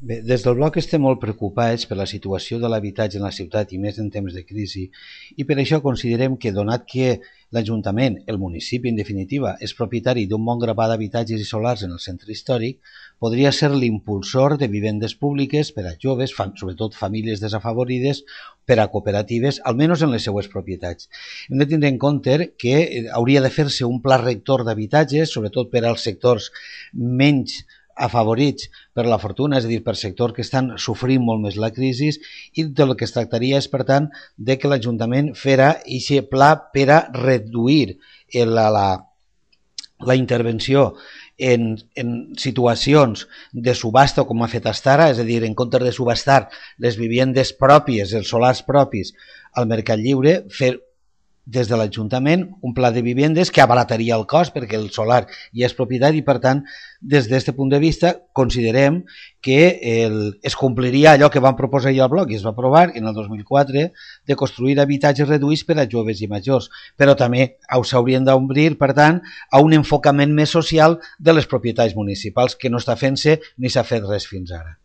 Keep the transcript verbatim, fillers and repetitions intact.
Bé, des del bloc estem molt preocupats per la situació de l'habitatge en la ciutat i més en temps de crisi i per això considerem que, donat que l'Ajuntament, el municipi en definitiva, és propietari d'un bon grapat d'habitatges i solars en el centre històric, podria ser l'impulsor de vivendes públiques per a joves, fam sobretot famílies desafavorides, per a cooperatives, almenys en les seues propietats. Hem de tindre en compte que hauria de fer-se un pla rector d'habitatges, sobretot per als sectors menys afavorits per la fortuna, és a dir, per sectors que estan sofrint molt més la crisi, i del que es tractaria és, per tant, de que l'Ajuntament fera aquest pla per a reduir la, la, la intervenció en, en situacions de subhasta com ha fet hasta ara, és a dir, en comptes de subhastar les vivendes pròpies, els solars propis al mercat lliure, fer des de l'Ajuntament un pla de vivendes que abarataria el cost perquè el solar ja és propietat i, per tant, des d'aquest punt de vista considerem que el, es compliria allò que vam proposar ja al bloc i es va aprovar en el dos mil quatre de construir habitatges reduïts per a joves i majors, però també s'haurien d'obrir, per tant, a un enfocament més social de les propietats municipals que no està fent-se ni s'ha fet res fins ara.